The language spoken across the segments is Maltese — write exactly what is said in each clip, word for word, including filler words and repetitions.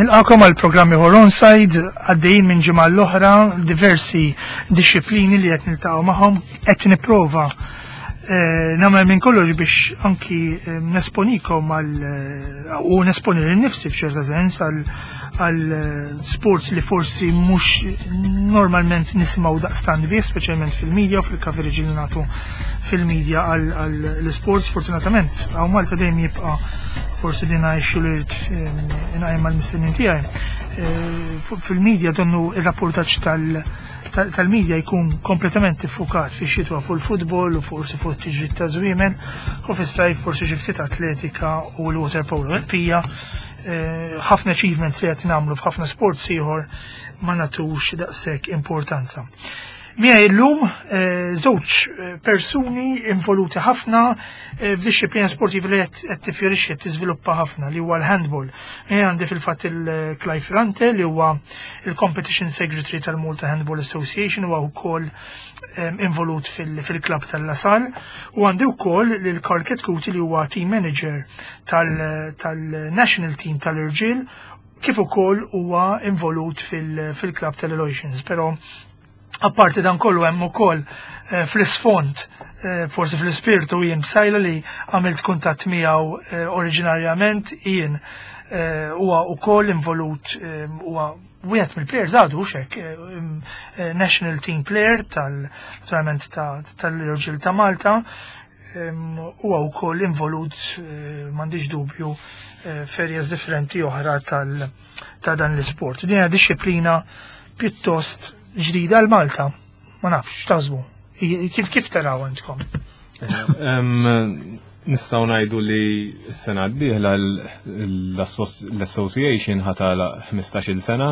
Nilqagħkom għal programm ieħor Onside, għaddejjin minn ġimgħa l-oħra, diversi disciplini li qed niltaqgħu magħhom, qed nipprova eh, nagħmel minn kollox biex anki eh, nesponikom għal eh, u nesponi lil nifsi f'ċerta sens għal għal sports li forsi mhux normalment nisimgħu daqstant bih, speċjalment fil-media u fil-coverage li nagħtu fil-media għal sports. Fortunatament, hawn Malta dejjem jibqa' forsi din issue li rrid inqajjem mal-mistednin tiegħi. Fil-media donnu ir-rapportaġġ tal-media jkun kompletament iffukat fi xitwa fuq il-futbol u forsi fuq it-tiġrid ta' żwiemel u fis-sajf forsi xi ftit atletika u l-water polo. Pija ħafna achievements li qed nagħmlu f'ħafna sports ieħor ma nagħtux daqshekk importanza. Miegħi llum żewġ persuni involuti ħafna f'dixxiplina sportiva li qed tifjorixxi, qed tiżviluppa ħafna, li huwa l-handball. Jien għandi fil-fatt il-Clive Ferrante, li huwa il-Competition Secretary tal-Malta Handball Association, huwa wkoll involut fil-klab tal-La Salle, u għandi wkoll lil Karl Chetcuti, li huwa team manager tal-national team tal-irġiel, kif ukoll huwa involut fil-klab tal-Aloysians. Però apparti dan kollu hemm ukoll eh, fl-isfond, eh, forsi fl-ispirtu, jien Psaila, li għamilt kuntatt miegħu eh, oriġinarjament jien, huwa ukoll involut, huwa wieħed mill-players għadu xek national team player tal-naturalment tal-irġiel ta' Malta, huwa wkoll involut, m'għandix dubju, f'areas differenti oħra ta' dan l-isport. Din hija disciplina pjuttost ġdida għal Malta. Ma nafx, x'taħsbu? Kif kif taraw intkom? Nistgħu ngħidu li s-sena d-dieħla l-Association ħa tagħlaq ħmistax-il sena,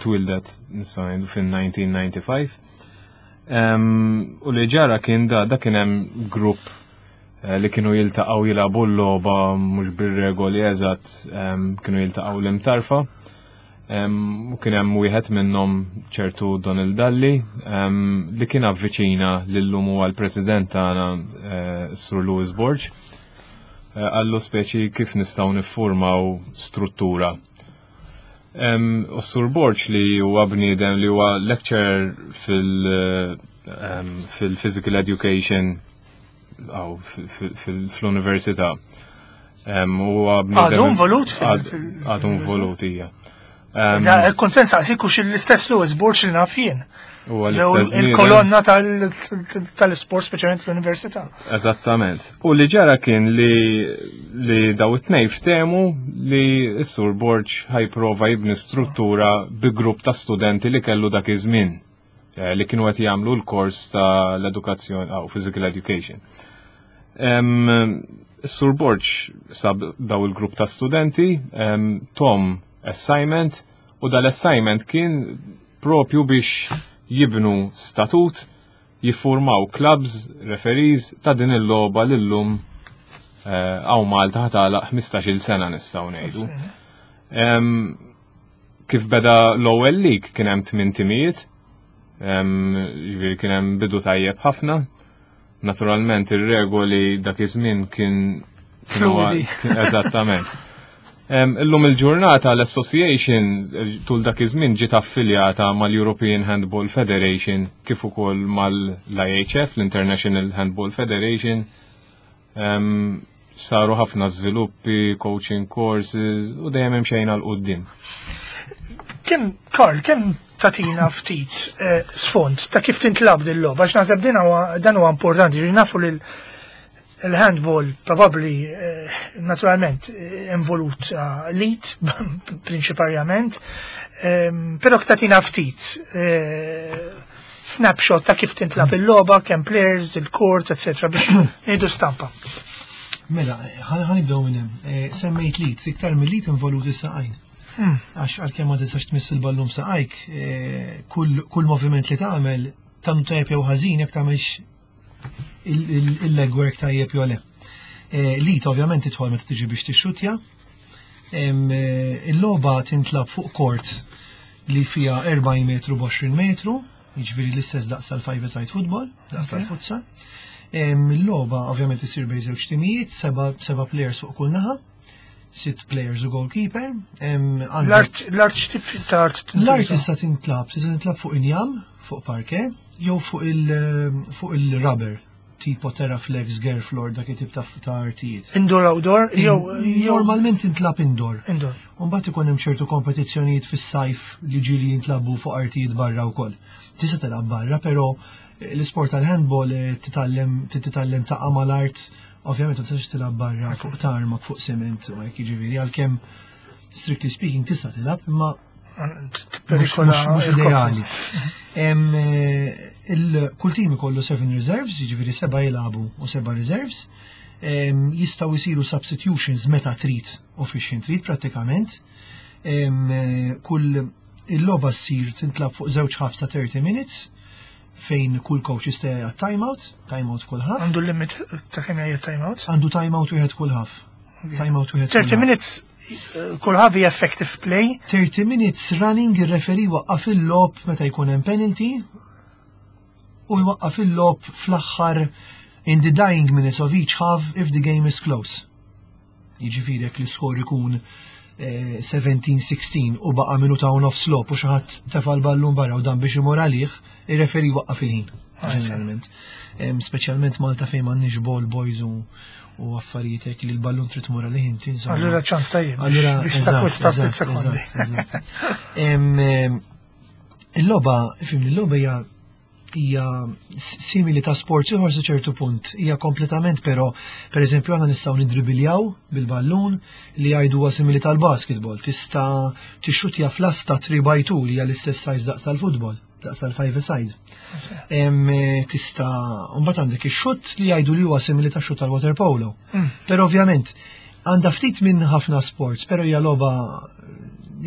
twildet nistgħu ngħidu fin-elf disa' mija u disgħa u disgħin. U li ġara kien da, da kien hemm grupp eh, li kienu jiltaqgħu jilagħbu l-logħba mhux bir-regoli eżatt, kienu jiltaqgħu l-Imtarfa. U kien hemm wieħed minnhom, ċertu Donald Dalli, li kien avviċina lil-lum huwa l-president tagħna, eh, Sur Louis Borg. Eh, qallu speċi kif nistgħu niffurmaw struttura. U Sur Borg, li huwa bniedem li huwa lecturer fil-physical education fl-università. Għadu involut? Għadu involut, ija. Konsens għax l-istess Louis Borg li naf jien. Il-kolonna tal-sport, speċjalment fl-università. Eżattament. U li ġara kien li li daw it-tnejn ftehmu li s-Sur Borg ħa jipprova jibni struttura bi grupp ta' studenti li kellu dak iż-żmien eh, li kienu qed jagħmlu l-kors ta' l-edukazzjoni oh, physical education. Sur Borg sab daw il-grupp ta' studenti, tahom assignment, u dal-assignment kien propju biex jibnu statut, jiffurmaw clubs, referees ta' din il-logħba l-lum hawn Malta ħa tagħlaq ħmistax-il sena, nistgħu ngħidu. Kif beda l-ewwel league kien hemm tmien timijiet, ġifieri kien hemm bidu tajjeb ħafna. Naturalment ir-regoli dak iż-żmien kien Fluidi. Eżattament. Illum il-ġurnata l-Association tul dak iż-żmien ġiet affiljata mal-European Handball Federation kif ukoll mal-I H F, l-International Handball Federation. Saru ħafna żviluppi, coaching courses u dejjem imxejna 'l quddiem. Kemm, Karl, kemm tagħtina ftit eh, sfond ta' kif tintlagħab din logħba, għax naħseb din dan huwa importanti, ġi nafu li il-handball probably eh, naturalment eh, involut l-id prinċiparjament, ehm, però tagħtina ftit snapshot ta' kif tintlagħab il-logħba, kemm players, il-court, eccetera, biex ngħidu stampa. Mela, ħa nibdew minn hemm. Semmejt l-id, iktar mill-id involuti saqajn. Hmm. Għax għalkemm ma tistax tmiss il-ballun saqajk, kull moviment li tagħmel tagħmlu tajjeb jew ħażin jekk tagħmelx il-legwork tajjeb jew le. L-id ovvjament tidħol meta tiġi biex tixxutja. Il-logħba tintlagħab fuq court li fija erbgħin metru b'għoxrin metru, jiġifieri l-istess daqs tal-five side football, daqs tal-futsal. Il-logħba ovvjament isir bejn żewġ timijiet, seba' players fuq kull naħa. Sitt players u goalkeeper. Em, għandek- L-art l-art x'tip ta' art L-art tintuża? tista' tintlab, tista' tintlab fuq injam, fuq parquet, jew fuq il- fuq il-rubber, tipo Terraflex, Gerflor, dak it-tip ta' ta' artijiet. Indoor, outdoor, jew jew Normalment tintlab indoor. Indoor. Umbagħad ikun hemm ċertu kompetizzjonijiet fis-sajf li ġieli jintlabu fuq artijiet barra wkoll. Tista' tilgħab barra, però eh, l-isport tal-handball eh, titgħallem titgħallem taqa' mal-art, ovvjament ma tistax tilgħab barra fuq tarmac, fuq cement, u hekk, jiġifieri għalkemm strictly speaking tista' tilgħab, imma mhux Perikola mhux- mhux ideali. Em, eh, il- Kull team ikollu seven reserves, jiġifieri seba' jilagħbu u seba' reserves. Em, Jistgħu jsiru substitutions meta trid u fix trid prattikament. Em, eh, Kull il-logħba ssir tintlab fuq żewġ halves ta' thirty minutes fejn kull coach jista' jagħti timeout, timeout kull half. Għandu l-limit ta' kemm jgħid timeout? Għandu timeout wieħed kull half. Timeout wieħed kull thirty half. minutes eh, kull half hija effective play. thirty minutes running, ir-referee waqqaf il-logħob meta jkun hemm penalty u jwaqqaf il-logħob fl-aħħar, in the dying minutes of each half if the game is close. Jiġifieri jekk l-iskor ikun eh, seventeen sixteen u baqa' minuta u nofs logħob u xi ħadd tefa' l-ballun barra u dan biex imur għalih, ir-referee waqqaf il-ħin ġeneralment. Em, Speċjalment Malta fejn m'għandniex ball boys u u affarijiet hekk li l-ballun trid tmur għalih inti, insomma. Allura ċans tajjeb Allura, biex eżatt, takkwista ftit eżatt, sekondi. eżatt, eżatt. Em, em, Il-logħba, fim, il-logħba hija hija simili ta' sport ieħor sa ċertu punt. Hija kompletament però, per eżempju, aħna nistgħu nidribiljaw bil-ballun li jgħidu huwa simili tal-basketball. Tista' tixxutja fl-asta three by two li hija l-istess size daqs tal-futbol, daqs tal-five side. Em, eh, Tista' mbagħad għandek ix-xutt li jgħidu li huwa simili ta' xutt tal-water polo. Però ovvjament għandha ftit minn ħafna sports, però hija logħba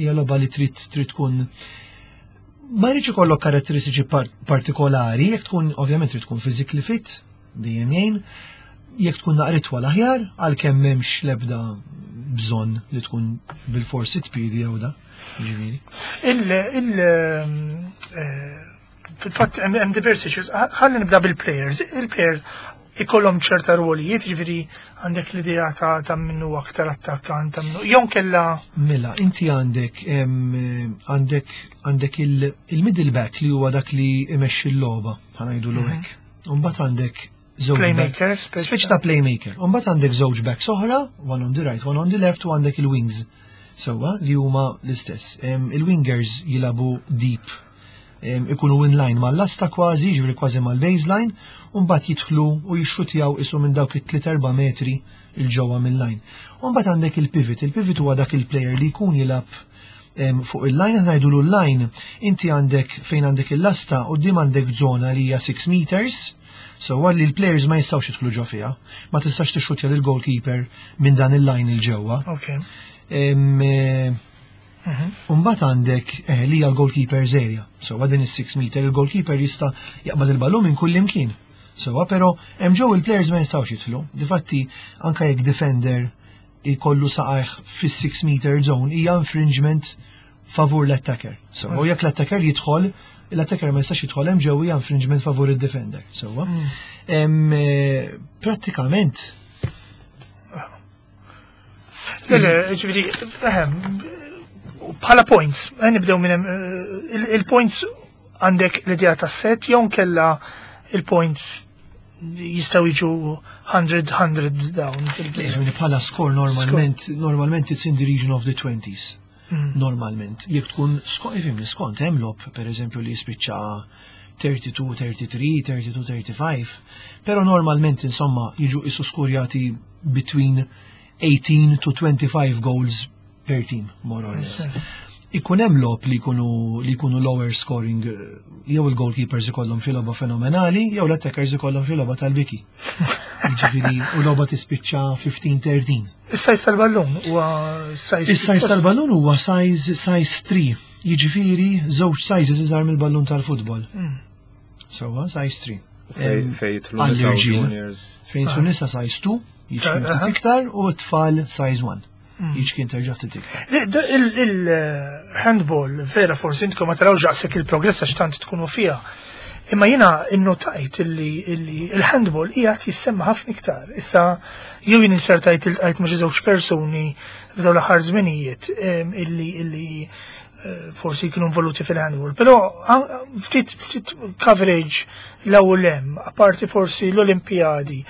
hija logħba li trid trid tkun, ma jridx ikollok karatteristiċi par partikolari, jekk tkun, ovvjament trid tkun physically fit, dejjem jgħin, jekk tkun naqra itwal aħjar, għalkemm m'hemmx l-ebda bżonn li tkun bil-forsi tpidi jew da. Ġifieri. Il, il, eh, fil-fatt hemm hemm diversi issues. Ħalli nibda bil-players. Il-players ikollhom ċerta rwolijiet, jiġifieri għandek l-idea ta' ta' minnu aktar attakkant, ta' minnu jew kella Mela, inti għandek em, għandek għandek il- il-middle back li huwa dak li imexxi l-logħba, ħa ngħidu hekk. Umbagħad għandek żewġ back- Playmaker, speċi Speċi ta' playmaker. Umbagħad għandek żewġ backs oħra, one on the right, one on the left, u għandek il-wings. Sewwa, li huma l-istess. Em, Il-wingers jilagħbu deep. Em, Ikunu in line mal-lasta kważi, ġifieri kważi mal-baseline, u mbagħad jidħlu u jixxutjaw isu minn dawk it-tliet erba' metri 'il ġewwa mill-line. U mbagħad għandek il-pivot. Il-pivot huwa dak il-player li jkun jilgħab em, fuq il-line, aħna ngħidu l-line, inti għandek fejn għandek il-lasta u dim għandek zona li hija six meters, so għalli l-players ma jistgħux jidħlu ġo fiha, ma tistax tixxutja lil goalkeeper minn dan il-line 'il ġewwa. Ok. Em, eh, Umbagħad għandek eh, li hija l-goalkeeper's area. So din is-six meter il-goalkeeper jista' jaqbad il-ballun minn kull imkien. So però hemm ġew il-players ma jistgħux jidħlu. Difatti anke jekk defender jkollu saqajh fis-six meter zone hija infringement favur l-attacker. So u jekk l-attacker jidħol, l-attacker ma jistax jidħol hemm ġew, hija infringement favur il-defender. So em, eh, prattikament Le, le, ġifieri, ehem, bħala points, eh, nibdew minn hemm, eh, il- il-points għandek l-idea ta' set, jew kella il-points jistgħu jiġu one hundred one hundred down. Ġifieri bħala score normalment, normalment it's in the region of the twenties. Normalment. Jekk tkun skont, ifhimni, skont hemm logħob, per eżempju, li jispiċċa thirty-two thirty-three, thirty-two thirty-five, pero normalment insomma jiġu isu skurjati between eighteen to twenty-five goals per team, more or less. Ikun hemm logħob li jkunu li jkunu lower scoring, eh, jew il-goalkeepers ikollhom xi logħba fenomenali, jew l-attackers ikollhom xi logħba tal-biki. Jiġifieri u logħba tispiċċa fifteen thirteen. Is-size tal-ballun huwa size Is-size tal-ballun huwa size size three. Jiġifieri żewġ sizes iżgħar mill-ballun tal-futbol. Sewwa, size three. Fej Em, fej jidħlu nisa u għall-irġiel. juniors. Fejn jidħlu nisa size two, jiċkien ftit iktar, u t-tfal size one. Jiċkien terġa' ftit iktar. Il-handball, vera forsi intkom ma tarawx daqshekk il-progress għax tant tkunu fiha. Imma jiena innotajt illi illi il-handball qiegħed jissemma ħafna iktar. Issa jew jien insertajt iltqajt ma' xi żewġ persuni f'dawn l-aħħar żminijiet em, illi illi eh, forsi kienu involuti fil-handball. Però an- ftit ftit coverage l-ewwel hemm, apparti forsi l-Olimpijadi.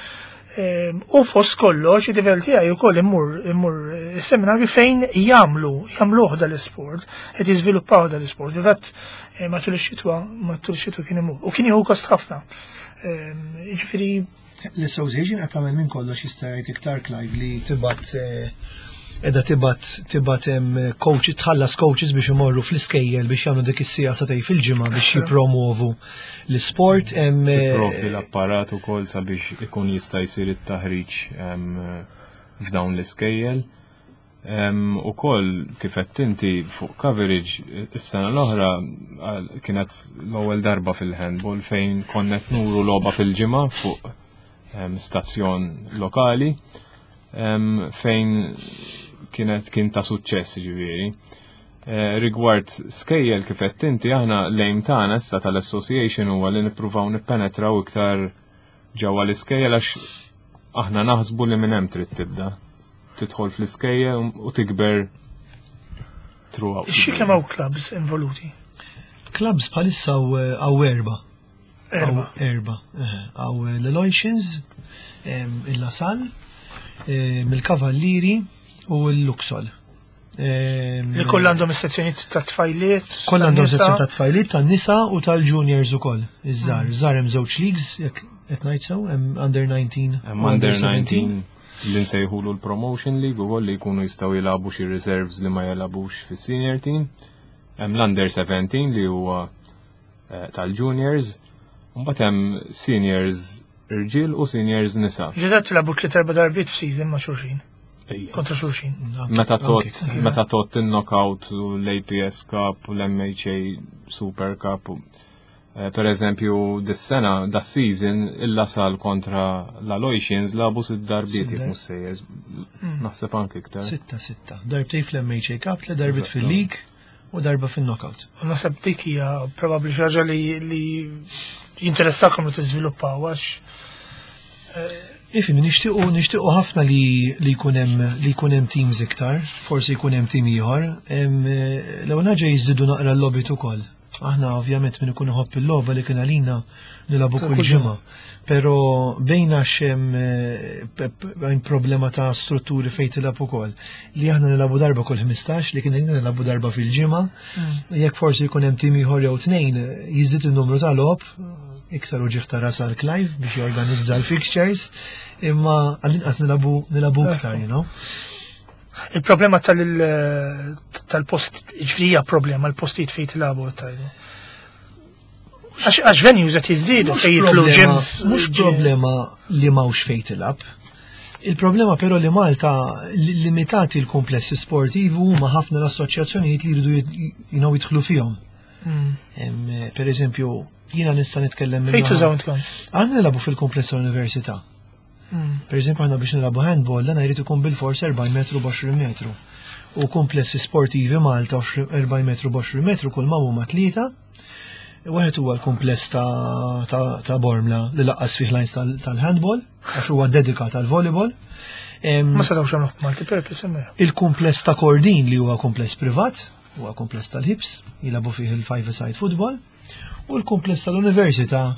Em, U fost kollox, id-tifel tiegħi wkoll immur immur eh, seminarju fejn jagħmlu jagħmluh dal-isport, qed jiżviluppaw dal-isport. Fil-fatt eh, matul ix-xitwa, matul ix-xitwa kien imur. U kien jieħu gost ħafna. Em, Jiġifieri L-association qed tagħmel minn kollox, jista' jgħid iktar Clive, li tibgħat eh, edha tibgħat tibgħat hemm coach, tħallas coaches biex imorru fl-iskejjel biex jagħmlu dik is-siegħa sagħtejn fil-ġimgħa biex jippromovu l-isport hemm eh, Tipprovdi l-apparat ukoll sabiex ikun jista' jsir it-taħriġ em, f'dawn l-iskejjel. Em, Ukoll kif qed inti fuq coverage, is-sena l-oħra għal- kienet l-ewwel darba fil-handball fejn konna qed nuru logħba fil-ġimgħa fuq em, stazzjon lokali em, fejn kienet kien ta' suċċess, ġifieri. Eh, rigward skejjel, kif qed inti, aħna l-aim tagħna issa tal-association huwa li nippruvaw nippenetraw iktar ġewwa l-iskejjel, għax aħna naħsbu li minn hemm trid tibda. Tidħol fl-iskejjel u tikber throughout. Xi kemm hawn clubs involuti? Clubs bħalissa hawn erba. Erba. Erba. Hawn l-Aloysians, il-La Salle, il-Kavallieri u l-Luxol. Li kollha għandhom is-sezzjonijiet ta' tfajliet. Kollha għandhom tan-nisa. sezzjoni ta' tfajliet, tan-nisa u tal-juniors ukoll. Iż-żgħar, żgħar hemm żewġ leagues, jekk qed ngħid sew, hemm under nineteen Hemm u under seventeen. nineteen li nsejħulu l-Promotion League ukoll, li jkunu jistgħu jilagħbu xi reserves li ma jilagħbux fis-senior team. Hemm l-under seventeen li huwa eh, tal-juniors. Mbagħad hemm seniors irġiel u seniors nisa. Ġedat tilagħbu tliet, erba' darbiet f'season ma' xulxin, kontra xulxin. Anke- Meta tot anke. Meta tot il-knockout u l-A P S Cup u l-M H A Super Cup. u- eh, Per eżempju, dis-sena, da season, il-La Salle kontra l-Aloysians lagħbu sitt darbiet, Sitt jekk mhux sejjer. Naħseb anke iktar. Sitta, sitta. Darbtejn fl-M H A Cup, tliet darbiet fil-League u darba fil-knockout. U naħseb dik hija probabbli xi ħaġa li li jinteressakom li tiżviluppaw għax Ifim, nixtiequ nixtiequ ħafna li li jkun hemm li jkun hemm teams iktar, forsi jkun hemm team ieħor. Hemm, eh, L-ewwel ħaġa jiżidu naqra l-logħbiet ukoll. Aħna ovvjament min ikun iħobb il-logħba li kien għalina nilagħbu kull Kull ġimgħa. Però bejna hemm eh, pe- pe- hemm problema ta' strutturi fejn tilgħab ukoll. Li aħna nilagħbu darba kull ħmistax, li kien għalina nilagħbu darba fil-ġimgħa. Jekk forsi jkun hemm team ieħor jew tnejn, jiżdied in-numru ta' logħob, iktar uġigħ ta' ras għal Clive biex jorganizza l-fixtures, imma għall-inqas nilagħbu nilagħbu iktar, you know. Il-problema tal- tal-post, ġifieri hija problema l-postijiet fejn tilagħbu tajdu. Għax għax venues qed jiżdiedu Mhux fejn jidħlu problema- gyms. Mhux problema li m'hawnx fejn tilgħab. Il-problema però li Malta li- limitati l-komplessi sportivi huma ħafna l-assoċjazzjonijiet li jridu jid- you know, jidħlu fihom. Mm. Em, eh, Per eżempju, jiena nista' nitkellem minn Fejn naħa- tużaw intkom? Aħna nilagħbu fil-kompless tal-università. Mm. Per eżempju, aħna biex nilagħbu handball, dan jrid ikun bil-fors erbgħin metru b'għoxrin metru. U komplessi sportivi Malta erbgħin metru b'għoxrin metru kull ma huma tlieta. Wieħed huwa l-kumpless ta', ta, ta' Bormla li lanqas fih lines tal- tal-handball, għax huwa dedikat għal volleyball. Em, Ma setgħux jagħmluh multi-purpose hemmhekk. Il-kumpless ta' Kordin li huwa kumpless privat, huwa kumpless tal-Hibs, jilagħbu fih il-five-side football, u l-kumpless tal-Università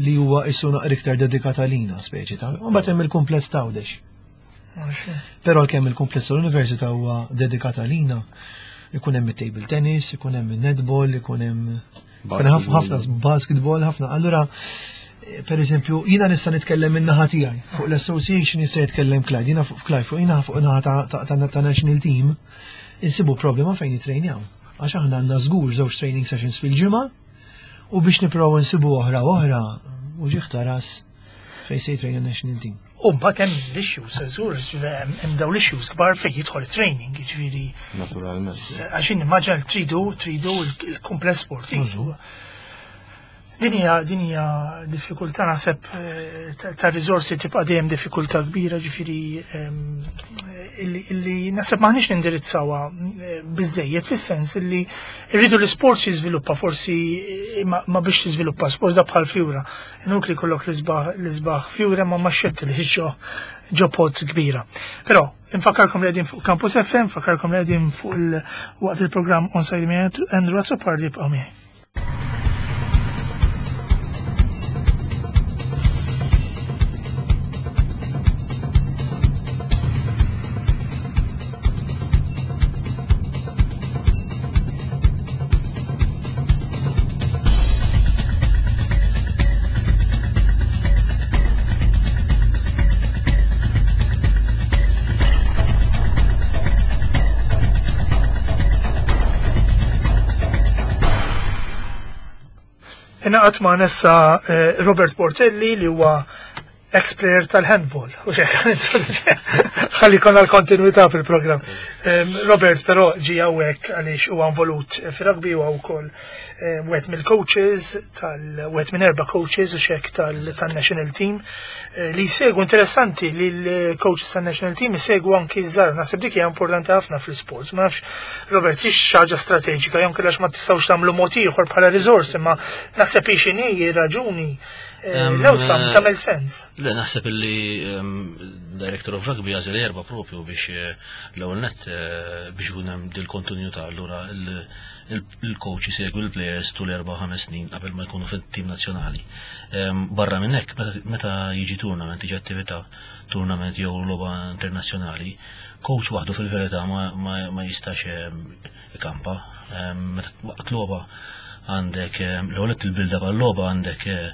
li huwa issu naqra iktar dedikat għalina speċi ta'. U mbagħad hemm il-kumpless ta' Għawdex. Però kemm il-kumpless tal-Università huwa dedikat għalina, ikun hemm it-table tennis, ikun hemm il-netball, ikun hemm ikun hemm ħafna basketball, ħafna. Allura, eh, per eżempju, jiena nista' nitkellem minn naħa tiegħi. Fuq l-association jista' jitkellem Clyde, jiena fuq Clyde, fuq jiena fuq naħa ta' ta' ta' ta' national team, insibu problema fejn jitrejnjaw. Għax aħna għandna żgur żewġ training sessions fil-ġimgħa u biex nipprovaw nsibu oħra oħra uġigħ ta' ras fejn se jitrejna national team. U mbagħad hemm l-issues, żgur, hemm dawn l-issues kbar fejn jidħol training, jiġifieri Naturalment. għax immaġina tridu tridu il-kumpless sportiv. Din hija din hija diffikultà naħseb eh, ta' riżorsi, tibqa' dejjem diffikultà kbira, ġifieri ehm, illi illi naħseb m'aħniex nindirizzawha eh, biżejjed, fis-sens illi rridu l-isport jiżviluppa forsi eh, ma ma biex tiżviluppa sport da bħal fjura. Inutli jkollok l-isbaħ l-isbaħ fjura ma ma xetti li ġo ġo pot kbira. Però infakkarkom li qegħdin fuq Campus F M, infakkarkom li qegħdin fuq il waqt il-programm Onside minn Andrew Azzopardi, ibqgħu miegħi. Ingħaqad magħna issa eh, Robert Portelli, li huwa ex-player tal-handball. U ħalli konna l-kontinuità fil-programm. Em, Robert però ġi hawnhekk għaliex huwa involut fir-rugby, huwa wkoll eh, wieħed mill-coaches tal wieħed minn erba' coaches u xek tal-national team eh, li jsegwu. Interessanti li l-coaches tal-national team jsegwu anki ż-żgħar. Naħseb dik hija importanti ħafna fl-sports. Ma nafx, Robert, hix ħaġa strateġika jew kellha ma tistgħux tagħmlu mod ieħor bħala riżorsi, ma naħseb hi x'inhi raġuni eh, Em, l-outcome eh, tagħmel sens. Le, naħseb illi um, Director of Rugby għażel erba propju biex eh, l-ewwel net eh, biex ikun hemm dil-kontinuità, allura il- il- il-coach isegwi l-players tul erba' ħames snin qabel ma jkunu fit-tim nazzjonali. Em, Barra minn hekk, meta- meta jiġi tournament, jiġi attività, tournament jew logħba internazzjonali, coach waħdu fil-verità ma, ma, ma jistax em, ikampa. Em, Meta waqt logħba għandek em, l-ewwel net il-build-up għal-logħba, għandek eh,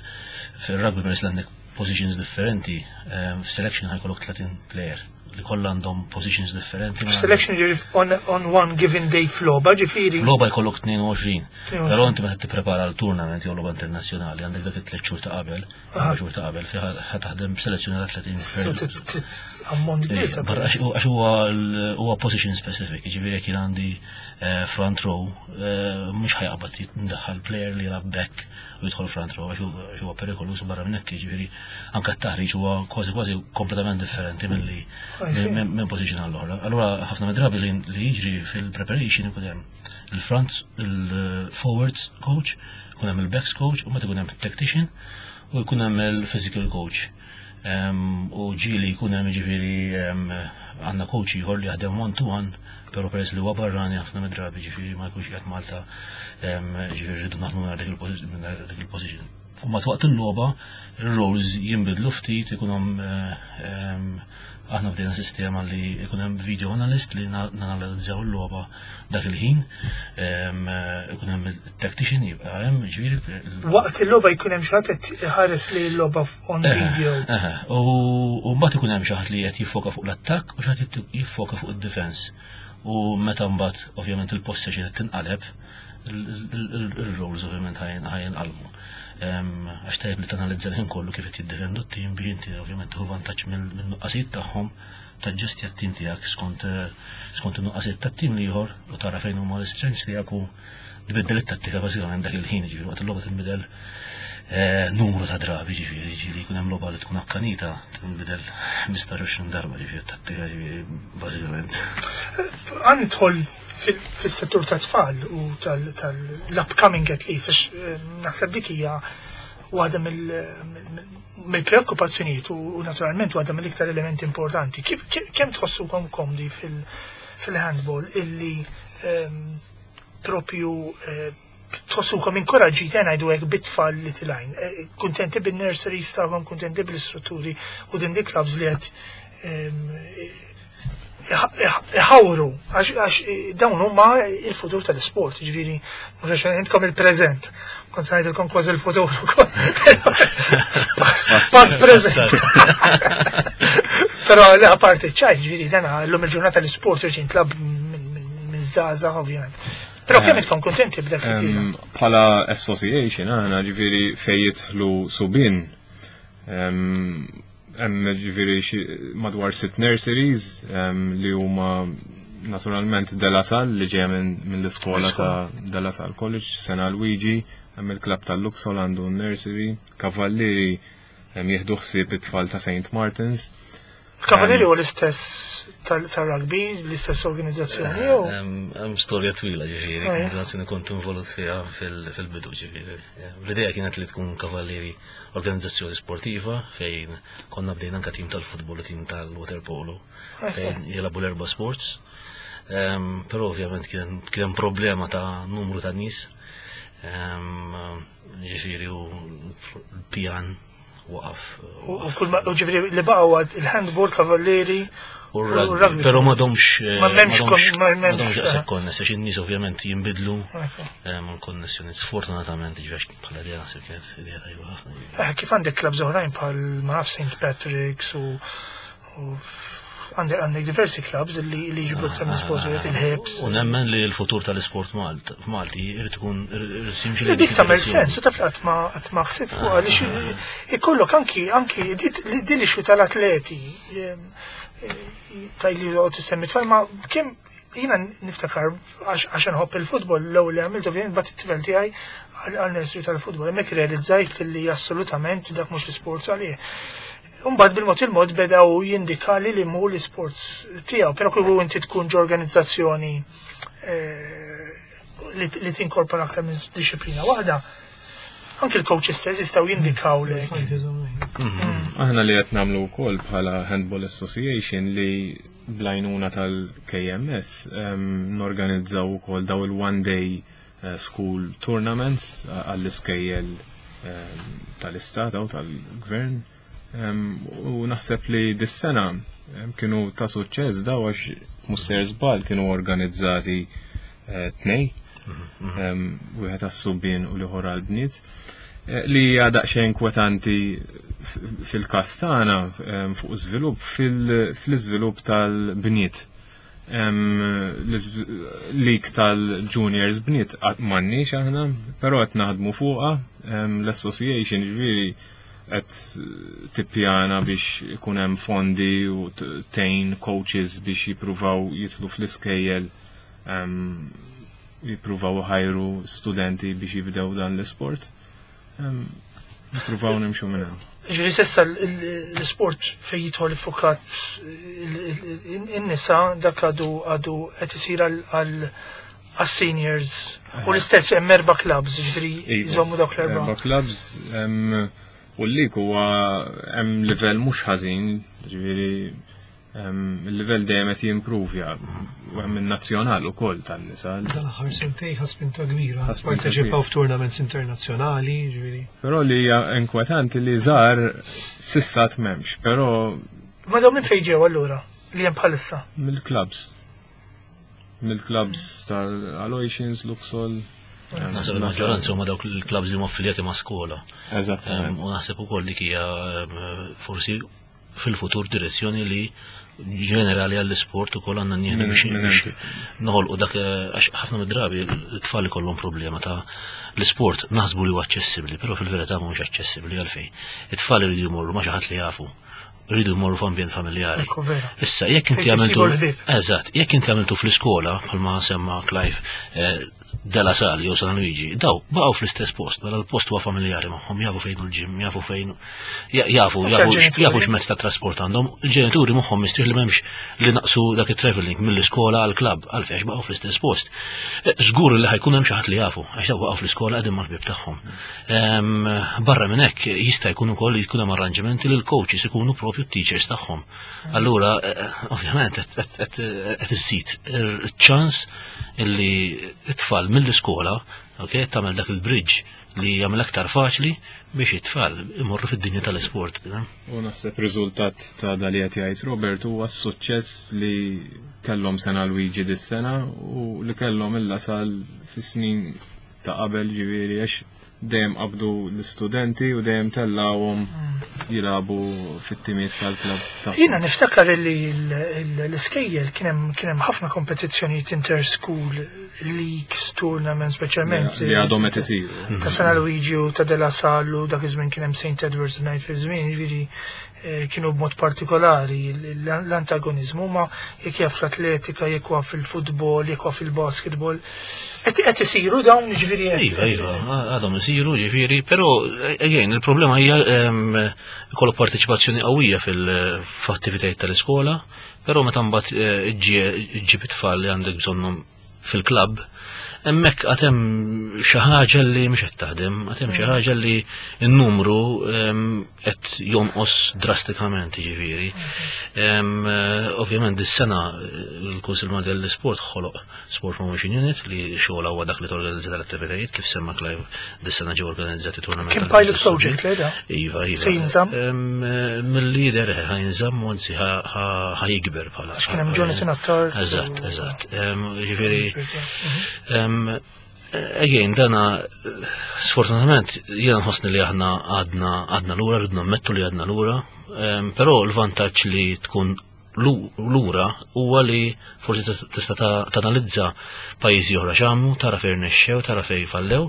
fil-rugby peress li għandek positions differenti, em, f'selection ħa jkollok tletin player li kollha għandhom positions differenti. ma- Selection ġifieri on, on one given day f'logħba, ġifieri. Logħba jkollok tnejn u għoxrin. tnejn u għoxrin. Però inti meta tipprepara l-tournament jew logħba internazzjonali għandek dak it-tliet xhur ta' qabel, erba' xhur ta' qabel fi ħa taħdem b'selezzjoni ta' tletin So player. trid- trid ammont kbir ta' Barra għax għax huwa l- huwa position specific, jiġifieri jekk jien għandi eh, front row, eh, mhux ħa jaqbad jindaħħal player li jilgħab back u jidħol front row għax hu- għax huwa perikolus. Barra minn hekk, jiġifieri anke t-taħriġ huwa kważi kważi kompletament differenti milli I see. minn minn position għall-oħra. Allura ħafna mid-drabi li li jiġri fil-preparation ikun hemm il-front, il-forwards coach, ikun hemm il-backs coach, u meta ikun hemm tactician u jkun hemm il-physical coach. Em, U ġieli jkun hemm, ġifieri em, għandna coach ieħor li jaħdem one to one, però peress li huwa barrani ħafna mid-drabi, ġifieri ma jkunx qiegħed Malta, em, ġifieri rridu naħdmu minn dik il-posi- minn dik il-position. U mat waqt il-logħba il-roles jinbidlu ftit, ikun hemm eh, em, aħna bdejna sistema li ikun hemm video analyst li na- nanalizzaw il-logħba dak il-ħin, em, eh, ikun hemm il-tactician jibqa' hemm, ġifieri il- Waqt il-logħba jkun hemm xi ħadd qed iħares li l-logħba on video. Eħe, U u mbagħad ikun hemm xi ħadd li qed jiffoka fuq l-attakk u xi ħadd jiffoka fuq id-defense. U meta mbagħad ovvjament il-possession qed tinqaleb, il-roles ovvjament ħa jinqalbu. Għax tajjeb li tanalizza l-ħin kollu kif qed jiddefendu t-tim biex inti ovvjament tieħu vantaġġ mill-nuqqasijiet tagħhom, taġġestja t-tim tiegħek skont skont in-nuqqasijiet tat-tim l-ieħor u tara fejn huma l-strengths tiegħek u tbiddel it-tattika bażikament dak il-ħin, ġifieri waqt il-logħba tinbidel eh, numru ta' drabi, ġifieri ġieli jkun hemm logħba li tkun akkanita tinbidel ħmistax darba, ġifieri tattika, ġifieri bażikament. Ħa nidħol fil-settur ta' tfal u tal-upcoming athletes, għax eh, naħseb dik hija waħda mill-preokkupazzjonijiet u naturalment waħda mill-iktar elementi importanti. Kemm tħossukom komdi fil-handball illi ehm, propju eh, tħossukom inkoraġġiti, ngħidu hekk, bit-tfal li tilgħin? Eh, kuntenti bin-nurseries tagħhom, kuntenti bil-istrutturi u din di clubs li qed ehm, iħawru, għax dawn huma il-futur tal-sport, ġifieri, mhux intkom il-preżent. Kont se ngħidilkom kważi il-futur. Pass preżent. Però le, apparti ċaj, ġifieri dana llum il-ġurnata l-sport irid jintlagħab minn żgħażagħ ovvjament. Però kemm intkom kontenti b'dak li Bħala association, aħna ġifieri fejn jidħlu subien, hemm ġifieri madwar sitt nurseries li huma Naturalment De La Salle li ġeja minn minn l-iskola ta' De La Salle College, San Luigi, hemm il-klabb tal-Luxol għandu nursery, Kavallieri hemm jieħdu ħsieb it-tfal ta' Saint Martins. Kavallieri huwa l-istess tal-rugby, l-istess organizzazzjoni jew? Hemm storja twila ġifieri, Ah, ja. organizzazzjoni kont involut fiha fil- fil-bidu ġifieri. L-idea kienet li tkun Kavallieri organizzazzjoni sportiva fejn konna bdejna anka tim tal-futbol u tim tal-waterpolo Ah, sì. fejn jilagħbu l-erba' sports. Em, Però ovvjament kien kien hemm problema ta' numru ta' nies. Em, Ġifieri u l-pjan waqaf. U u kull ma u ġifieri li baqgħu għad il-handball, Kavallieri U u r-rugby, rugby. pero m'għadhomx eh, Ma m'hemmx m'għadhomx- kon- ma m'hemmx, m'għadhomx daqshekk eh. konness, għax in-nies ovvjament jinbidlu Ok. em, l-konnessjoni sfortunatament ġifieri bħala idea naħseb kienet idea tajba ħafna. Eh, Kif għandek clubs oħrajn bħal ma naf Saint Patrick's u u għandek għandek diversi clubs li li jġibru aktar minn sportijiet, il-Hibs. U nemmen li l-futur tal-isport Malt- Malti irid ikun irid jimxi Li lejn dik dik tagħmel id-direzzjoni. sens, u taf li qatt ma qatt ma ħsib fuq għaliex ikollok anki anki di- di li xu tal-atleti em, eh, tajli li għod tissemmi tfal ma kemm jiena niftakar għax għax nħobb il-futbol l-ewwel li għamilt ovvjament bgħatt it-tifel tiegħi għal nursery tal-futbol hemmhekk realizzajt li assolutament dak mhux l-isport għalih. Umbagħad bil-mod il-mod bedaw jindikali li mhu l-isports tiegħu, però kieku inti tkun ġo organizzazzjoni eh, li, li tinkorpora aktar minn disciplina waħda, anki l-coach stess jistgħu jindikaw lek. Aħna li qed nagħmlu wkoll bħala Handball Association li bl-għajnuna tal-K M S em, norganizzaw ukoll daw il-one day eh, school tournaments eh, għall-iskejjel em, tal-istat u tal-gvern. Em, U naħseb li dis-sena em, kienu ta' suċċess daw għax mhux sejjer żball kienu organizzati eh, tnej, em, wieħed għas-subien u l-ieħor għall-bniet. Eh, Li hija daqsxejn inkwetanti f- fil-każ tagħna em, fuq żvilupp fil- fl-iżvilupp tal-bniet. Em, l-iżv- Lig tal-juniors bniet qatt m'għandniex aħna, però qed naħdmu fuqha, em, l-association ġifieri qed tippjana biex ikun hemm fondi u t- tejn coaches biex jippruvaw jidħlu fl-iskejjel em, jippruvaw ħajru studenti biex jibdew dan l-isport. Em, Jippruvaw nimxu minn hawn. Ġifieri s'issa l- l- l-sport fej jidħol iffukat in-nisa dak għadu għadu qed isir għal għas-seniors u l-istess hemm erba' clubs, ġifieri Iva. jżommu dawk l-erba'. Erba' clubs em, u l-lig huwa hemm livell mhux ħażin, ġifieri em, il-livell dejjem qed jimpruvja u hemm in-nazzjonal ukoll tan-nisa. Dan aħħar sentej ħa spinta kbira. Ħa spinta Parteċipaw kbira. f'tournaments internazzjonali, ġifieri. Però li hija inkwetanti li żgħar s'issa m'hemmx, però Ma dawn minn fejn ġew allura li hemm bħalissa? Mill-clubs. Mill-clubs tal-Aloysians, Luxol. em, Naħseb il-maġġoranza huma dawk il-clubs li huma affiljati ma' skola. Em, Eżattament. U naħseb ukoll dik hija em, forsi fil-futur direzzjoni li ġenerali għall-isport ukoll għandna nieħdu Minn- biex minn biex hemm. noħolqu dak eh, għax ħafna mid-drabi l-tfal ikollhom problema ta' l-isport naħsbu li huwa aċċessibbli, però fil-verità mhux aċċessibbli għalfejn. It-tfal iridu jmorru ma' xi ħadd li jafu, iridu jmorru f'ambjent familjari. Ekku vera. Issa, jekk inti Fejn għamiltu. isibu l-ħbieb. Eżatt, jekk inti għamiltu fl-iskola, bħalma semma Clive, eh, De La Salle jew San Luigi, daw baqgħu fl-istess post, mela l-post huwa familjari magħhom, jafu fejn il-gym, jafu fejn ja- jafu Anke jafu l-ġenituri. jafu x'mezz ta' trasport għandhom. Il-ġenituri moħħhom mistrieħ li m'hemmx li naqsu dak it-traveling mill-iskola għal klabb għalfejn għax baqgħu fl-istess post. Eh, Żgur li ħa jkun hemm xi ħadd li jafu, għax daw baqgħu fl-iskola qegħdin mal-ħbieb tagħhom. Em, Barra minn hekk jista' jkun ukoll jkun hemm arranġamenti li l-coaches ikunu propju t-teachers tagħhom. Allura, eh, ovvjament, qed- qed- qed qed iżid il-ċans illi it-tfal mill-iskola, ok, tagħmel dak il-bridge li jagħmel aktar faċli biex it-tfal imorru fid-dinja tal-isport. U naħseb riżultat ta' dan li qed jgħid Robert huwa s-suċċess li kellhom San Luigi dis-sena u li kellhom il-La Salle fis-snin ta' qabel, ġifieri għax dejjem qabdu l-istudenti u dejjem tellawhom jilagħbu fit-timiet tal-klabb tagħhom. Jiena niftakar li l- l- l-iskejjel kien hemm kien hemm ħafna kompetizzjonijiet inter-school leagues, tournaments, speċjalment Li għadhom qed isiru. ta' San Luigi u ta' De La Salle u dak iż-żmien kien hemm Saint Edward's Knight fi żmien, jiġifieri kienu b'mod partikolari l-antagonizmu, ma jekk jaf fl-atletika, jekk huwa fil-futbol, jekk huwa fil-basketball. Qed isiru dawn ġifieri qed. Iva, iva, għadhom isiru ġifieri, però again il-problema hija ikollok parteċipazzjoni qawwija fil-attivitajiet tal-iskola, però meta mbagħad iġġib it-tfal li għandek bżonnhom fil-klabb, hemmhekk għad hemm xi ħaġa li mhux qed taħdem, għad hemm xi ħaġa li n-numru qed jonqos drastikament jiġifieri. Ovvjament dis-sena l-Kunsill Malti għall-Isport ħoloq Sport Promotion Unit li xogħolha huwa dak li torganizza l-attivitajiet kif semma Clive dis-sena ġew organizzati tournament. Kien pilot project le da? Iva, iva. Se jinżamm? Mill-lider ħa jinżamm u anzi ħa jikber bħala. Għax kien hemm Jonathan Attard. Eżatt, eżatt. Ġifieri Again, dana sfortunatament jiena nħossni li aħna għadna għadna lura, rridna nammettu li għadna lura, però l-vantaġġ li tkun lura huwa li forsi tista' tanalizza pajjiżi oħra x'għamlu, tara fejn rnexxew, tara fejn fallew,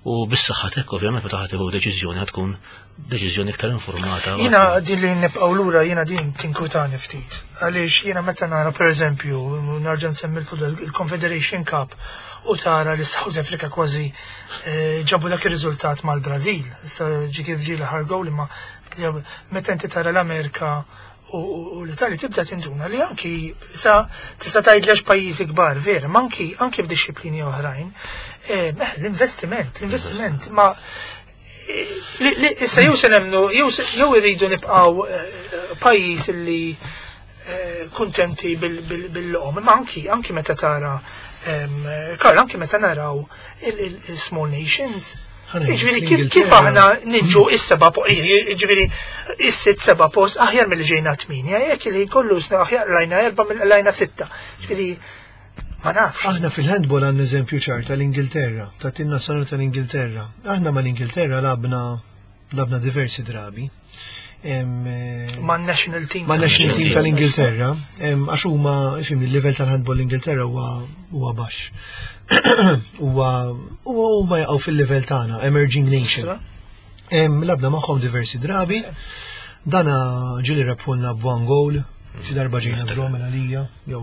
u bis-saħħa t'hekk ovvjament meta ħa tieħu deċiżjoni ħa tkun deċiżjoni iktar informata. Jiena din li nibqgħu lura jiena din tinkwitani ftit. Għaliex jiena meta nara pereżempju, nerġa' nsemmi l-futbol, il-Confederation Cup, u tara li South Africa kważi ġabu dak ir-riżultat mal-Brażil. Issa ġi kif ġie l-aħħar goal imma meta inti tara l-Amerika u l-Italja tibda tinduna li anki sa tista' tgħid lex pajjiżi kbar vera, ma anki anki f'dixxiplini oħrajn, l-investiment, l-investiment ma issa jew se nemmnu jew irridu nibqgħu pajjiż li kuntenti bil-lom, imma anki anki meta tara Karl, anki meta naraw il-small nations, ġifieri kif aħna niġu is-seba' ġifieri is-sitt seba' post aħjar milli ġejna tminja, jekk li kollu sna aħjar lajna erba' lajna sitta. Ġifieri ma nafx. Aħna fil-handball għandna eżempju ċar tal-Ingilterra, tat-tim nazzjonali tal-Ingilterra. Aħna mal-Ingilterra labna labna diversi drabi. Ma' national team. Ma' national team tal-Ingilterra, għax huma, ifhimni, il-level tal-handball l-Ingilterra huwa baxx. Huwa huma jaqgħu fil-level tagħna, emerging nation. Labna magħhom diversi drabi. Dana ġieli rebħulna b'one goal, xi darba ġejna draw minn għalija, jew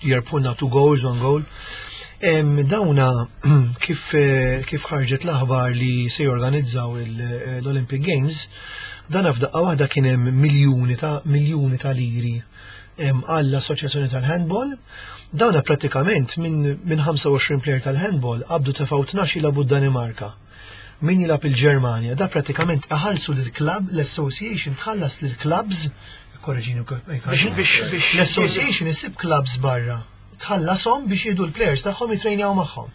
jerbħulna two goals, one goal. Dawna kif kif ħarġet l-aħbar li se jorganizzaw l-Olympic Games, dana f'daqqa waħda kien hemm miljuni ta' miljuni ta' liri għall-Assoċjazzjoni tal-Handball. Dawna pratikament minn min ħamsa u għoxrin player tal-handball qabdu tefgħu tnax jilagħbu d-Danimarka. Min jilgħab il-Ġermanja, da pratikament iħallsu lill-club, l-association tħallas lill-clubs, korreġini l-association isib clubs barra, tħallasom biex jieħdu l-players tagħhom jitrejnjaw magħhom.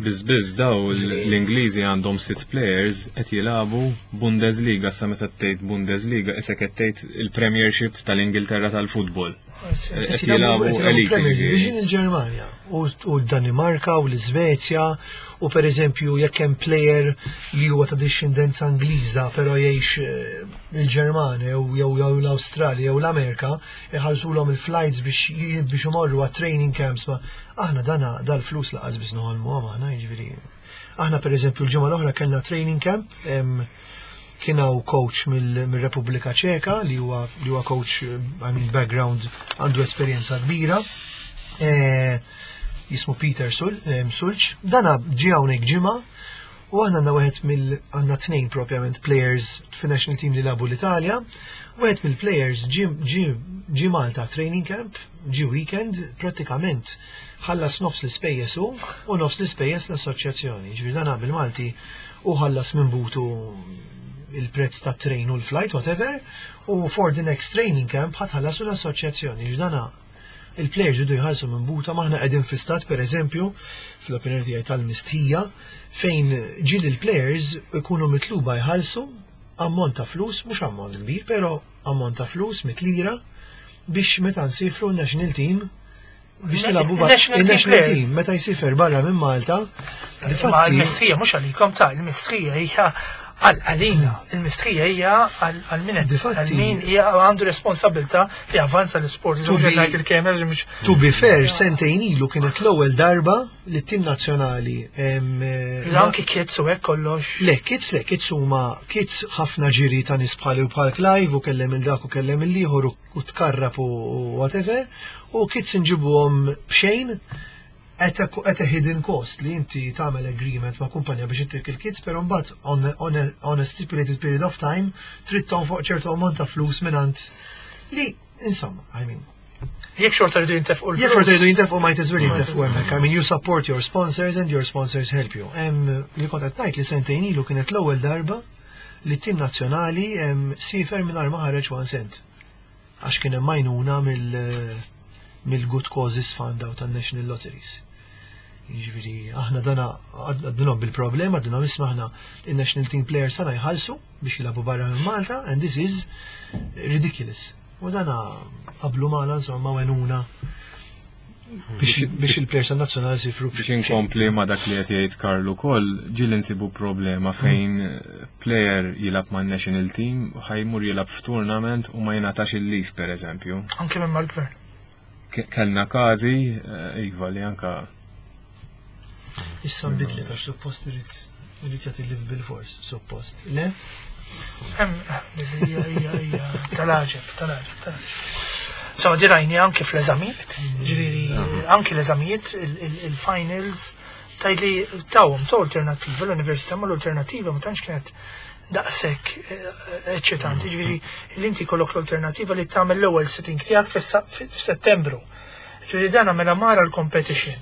Biz biz daw l-Ingliżi għandhom sitt players qed jilagħbu Bundesliga, sa meta tgħid Bundesliga isek qed tgħid il-Premiership tal-Ingilterra tal-futbol. Qed jilagħbu elite. Premier Division il-Ġermanja u d-Danimarka u l-Iżvezja, u pereżempju jekk hemm player li huwa ta' discendenza Ingliża però jgħix il-Ġermanja jew jew l-Awstralja jew l-Amerika, iħallsulhom il-flights biex biex imorru għat training camps. Ma aħna dana dal-flus laqas biss noħolmu aħna, jiġifieri. Aħna pereżempju l-ġimgħa l-oħra kellna training camp, kien hawn coach mill-Repubblika Ċeka li huwa li huwa coach, I mean background, għandu esperjenza kbira. Jismu Peter Sulċ. Dana ġie hawnhekk ġimgħa u aħna għandna wieħed mill għandna tnejn propjament players fin-national team li labu l-Italja. Wieħed mill-players ġie Malta training camp, ġie weekend, pratikament ħallas nofs l-ispejjeż hu u nofs l-ispejjeż l-assoċjazzjoni. Ġifieri dana bil-Malti u ħallas minn butu il-prezz ta' train u l-flight, whatever, u for the next training camp ħadd ħallasu l-assoċjazzjoni. Ġifieri dana il-players jridu jħallsu minn buta. Maħna qegħdin fi stat, pereżempju, fl-opinjoni tiegħi tal-mistħija, fejn ġieli l-players ikunu mitluba jħallsu ammont ta' flus, mhux ammont kbir, però ammont ta' flus mitlira biex meta nsifru l-national team biex nilagħbu il-national team meta jsifer barra minn Malta. Difatti il-mistħija mhux għalikom ta' il-mistħija hija Għal għalina, il-mistrija hija għal għal min qed- Difatti- għal min hija għandu responsabilità li avanza l-isport. To be- Ngħid il-kemer mhux To be fair, sentejn ilu kienet l-ewwel darba li t-tim nazzjonali em, eh, anki kids u hekk kollox. Le, kids le, kids huma kids ħafna ġiri ta' nies bħali u bħal Clive u kellem il-dak u kellem il-ieħor u- u tkarrab u u whatever, u kids nġibuhom b'xejn at a, at a hidden cost li inti tagħmel agreement ma' kumpanja biex ittik il-kids, però mbagħad on, on, a, on a stipulated period of time trid tonfoq ċertu ammont ta' flus mingħand li insomma, I mean, Jekk xorta rridu jintefqu Jekk xorta l-flus. jridu jintefqu might as well jintefqu hemmhekk. I mean, you support your sponsors and your sponsors help you. Em, li kont qed ngħid li sentejn ilu kienet l-ewwel darba li t-tim nazzjonali em, siefer mingħajr ma ħareġ one cent. Għax kien hemm għajnuna mill mill-Good Causes Fund aw tan-National Lotteries. Jiġifieri aħna dana għadnhom bil-problema, għadnhom isma' aħna il-National Team Players sana jħallsu biex jilagħbu barra minn Malta and this is ridiculous. U dana qablu magħna insomma għenuna biex biex il-players nazzjonali sifru Biex inkompli ma dak li qed jgħid Karlu ukoll, ġieli nsibu problema fejn player jilgħab ma' national team u ħa jmur jilgħab f'tournament u ma jingħatax il-leave per eżempju. Anke minn mal-gvern. Ke- Kellna każi, eh, iva li anka Issa nbidlet għax suppost irid irid jagħti leave bil-fors, suppost. Le? Hemm hija hija hija tal-għaġeb, tal-għaġeb, tal-għaġeb. So, dirajni anke fl-eżamijiet, ġifieri anke l-eżamijiet, il- il- il-finals, tajli tawhom ta' alternativa, l-università ma l-alternativa ma tantx kienet daqshekk eh, eċċitanti, ġifieri li inti kollok l-alternativa li tagħmel l-ewwel sitting tiegħek fis- f'Settembru. Ġifieri dan mela mara l-competition.